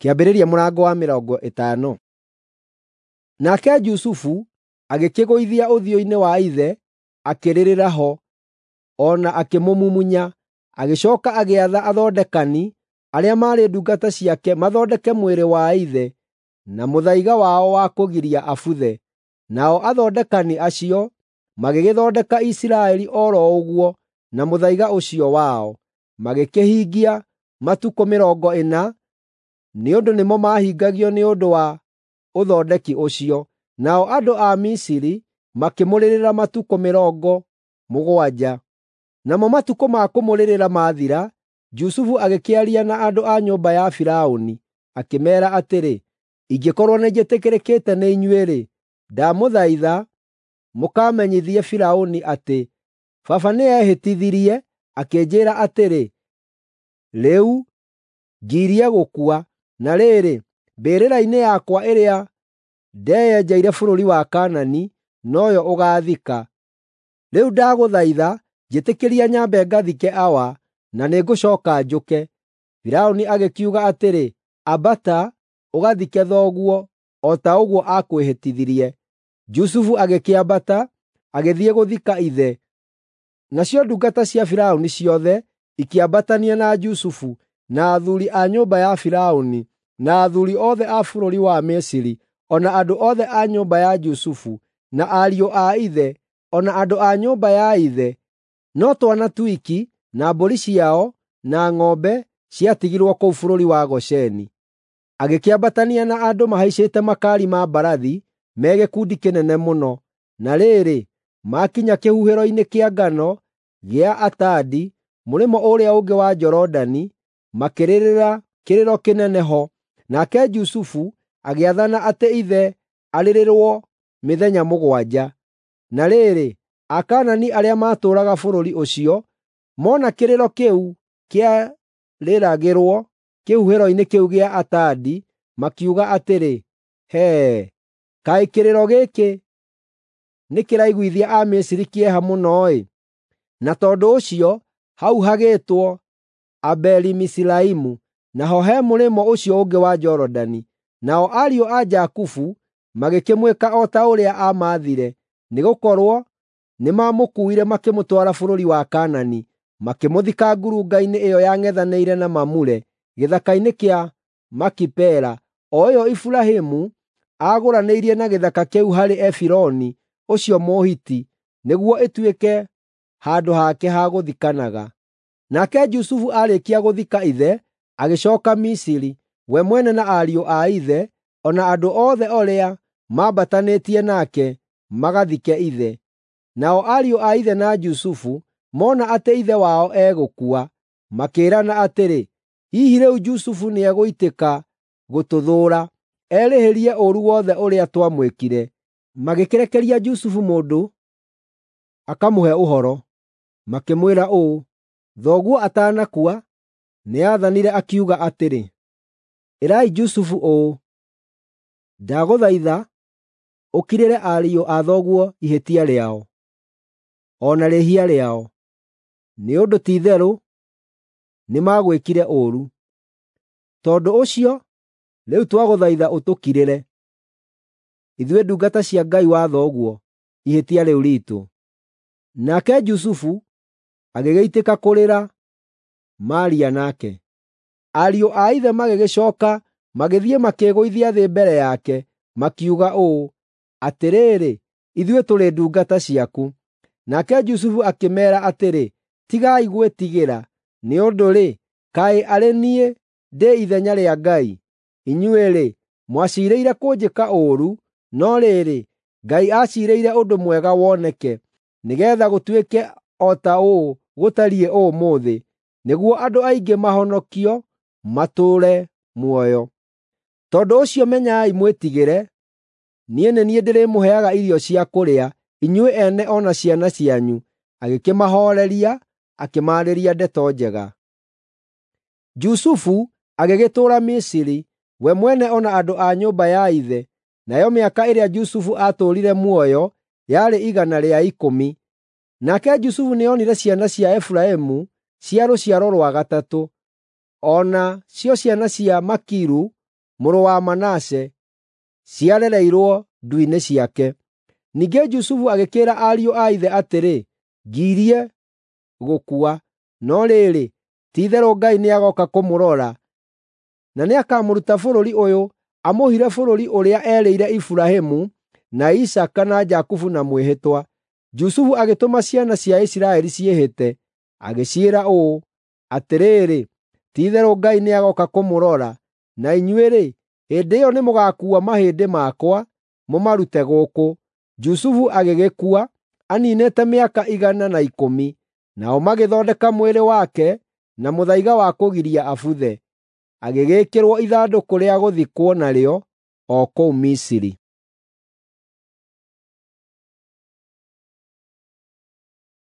Kĩambĩrĩria mũrango wa 50. Nake Jusufu agĩkĩgũithia ũthiũ-inĩ wa ithe, akĩrĩrĩra ho, o na akĩmũmumunya. Agĩcooka agĩatha athondekani arĩa maarĩ ndungata ciake mathondeke mwĩrĩ wa ithe na mũthaiga wao wa kũgiria abuthe. Nao athondekani acio magĩgĩthondeka Isiraeli o ro ũguo na mũthaiga ũcio wao. Magĩkĩhingia matukũ 40, nĩ ũndũ nĩmo maahingagio nĩ ũndũ wa ũthondeki ũcio. Nao andũ a Misiri makĩmũrĩrĩra matukũ 70. Namo matukũ ma kũmũrĩrĩra maathira, Jusufu agĩkĩaria na andũ a nyũmba ya Firaũni, akĩmeera atĩrĩ, “Ingĩkorwo nĩnjĩtĩkĩrĩkĩte nĩ inyuĩ-rĩ, ndamũthaitha mũkamenyithie Firaũni atĩ, ‘Baba nĩehĩtithirie akĩnjĩĩra atĩrĩ, “Rĩu ngirie gũkua, na rĩrĩ, mbĩrĩra-inĩ yakwa ĩrĩa ndeyenjeire bũrũri wa Kaanani, noyo ũgaathika.” Rĩu ndagũthaitha njĩtĩkĩria nyambe ngathike awa, na nĩngũcooka njũke.” Firaũni agĩkiuga atĩrĩ, “Ambata, ũgathike thoguo, o ta ũguo aakwĩhĩtithirie.” Jusufu agĩkĩambata, agĩthiĩ gũthika ithe. Nacio ndungata cia Firaũni ciothe ikĩambatania na Jusufu, na athuuri a nyũmba ya Firaũni, na athuuri othe a bũrũri wa Misiri, o na andũ othe a nyũmba ya Jusufu, na ariũ a ithe, o na andũ a nyũmba ya ithe. No twana twiki, na mbũri ciao, na ng'ombe ciatigirwo kũu bũrũri wa Gosheni. Agĩkĩambatania na andũ mahaicĩte makaari ma mbarathi me gĩkundi kĩnene mũno. Na rĩrĩ, maakinya kĩhuhĩro-inĩ kĩa ngano gĩa Atadi mũrĩmo ũrĩa ũngĩ wa Jorodani, makĩrĩrĩra kĩrĩro kĩnene ho. Nake Jusufu agĩathana atĩ ithe arĩrĩrwo mĩthenya 7. Na rĩrĩ, Akaanani arĩa maatũũraga bũrũri ũcio mona kĩrĩro kĩu kĩarĩragĩrwo kĩhuhĩro-inĩ kĩu gĩa Atadi, makiuga atĩrĩ, “Hee, kaĩ kĩrĩro gĩkĩ nĩkĩraiguithia Amisiri kĩeha mũno-ĩ!” Na tondũ ũcio hau hagĩĩtwo Abeli-Miziraimu, naho he mũrĩmo ũcio ũngĩ wa Jorodani. Nao ariũ a Jakubu magĩkĩmwĩka o ta ũrĩa aamaathire, nĩgũkorwo nĩmamũkuuire makĩmũtwara bũrũri wa Kaanani, makĩmũthika ngurunga-inĩ ĩyo yang'ethanĩire na Mamure, gĩthaka-inĩ kĩa Makipela, o ĩyo Iburahĩmu aagũranĩirie na gĩthaka kĩu harĩ Efironi ũcio Mũhiti nĩguo ĩtuĩke handũ hake ha gũthikanaga. Nake Jusufu aarĩkia gũthika ithe, agĩcooka Misiri, we mwene na ariũ a ithe, o na andũ othe arĩa maambatanĩtie nake magathike ithe. Nao ariũ a ithe na Jusufu mona atĩ ithe wao egũkua, makĩĩrana atĩrĩ, “Hihi rĩu Jusufu nĩegũitĩka gũtũthũũra, erĩhĩrie ũũru wothe ũrĩa twamwĩkire.” Magĩkĩrekeria Jusufu mũndũ akamũhe ũhoro, makĩmwĩra ũũ, “Thoguo atanakua, nĩathanire akiuga atĩrĩ, ‘Ĩrai Jusufu ũũ: Ndagũthaitha ũkirĩre ariũ a thoguo ihĩtia rĩao, o na rĩĩhia rĩao, nĩ ũndũ ti-itherũ nĩmagwĩkire ũũru.’ Tondũ ũcio, rĩu twagũthaitha ũtũkirĩre, ithuĩ ndungata cia Ngai wa thoguo, ihĩtia rĩu riitũ.” Nake Jusufu agĩgĩitĩka kũrĩra maaria nake. Ariũ a ithe magĩgĩcooka magĩthiĩ makĩĩgũithia thĩ mbere yake, makiuga ũũ, “Atĩrĩrĩ, ithuĩ tũrĩ ndungata ciaku.” Nake Jusufu akĩmeera atĩrĩ, “Tigai gwĩtigĩra, nĩ ũndũ-rĩ, kaĩ arĩ niĩ ndĩ ithenya rĩa Ngai? Inyuĩ-rĩ, mwaciirĩire kũnjĩka ũũru, no rĩrĩ, Ngai aaciirĩire ũndũ mwega woneke, nĩgeetha gũtuĩke o ta ũũ gũtariĩ ũmũthĩ, nĩguo andũ aingĩ mahonokio matũũre muoyo. Tondũ ũcio menyai mwĩtigĩre, niĩ nĩ niĩ ndĩrĩmũheaga irio cia kũrĩa, inyuĩ ene o na ciana cianyu.” Agĩkĩmahooreria, akĩmaarĩria ndeto njega. Jusufu agĩgĩtũũra Misiri, we mwene o na andũ a nyũmba ya ithe. Nayo mĩaka ĩrĩa Jusufu aatũũrire muoyo yarĩ 110. Nake Jusufu nĩonire ciana cia Efiraimu cia rũciaro rwa gatatũ. O na cio ciana cia Makiru mũrũ wa Manase, ciarereirwo ndu-inĩ ciake. Ningĩ Jusufu agĩkĩĩra ariũ a ithe atĩrĩ, “Ngirie gũkua, no rĩrĩ, ti-itherũ Ngai nĩagooka kũmũrora, na nĩakamũruta bũrũri ũyũ amũhire bũrũri ũrĩa erĩire Iburahĩmu, na Isaaka na Jakubu na mwĩhĩtwa.” Jusufu agĩtũma ciana cia Isiraeli ciĩhĩte, agĩciĩra ũũ, “Atĩrĩrĩ, ti-itherũ Ngai nĩagooka kũmũrora, na inyuĩ-rĩ, hĩndĩ ĩyo nĩmũgakuua mahĩndĩ makwa, mũmarute gũkũ.” Jusufu agĩgĩkua, aniinĩte mĩaka 110. Nao magĩthondeka mwĩrĩ wake na mũthaiga wa kũgiria abuthe, agĩgĩĩkĩrwo ithandũkũ rĩa gũthikwo narĩo o kũu Misiri.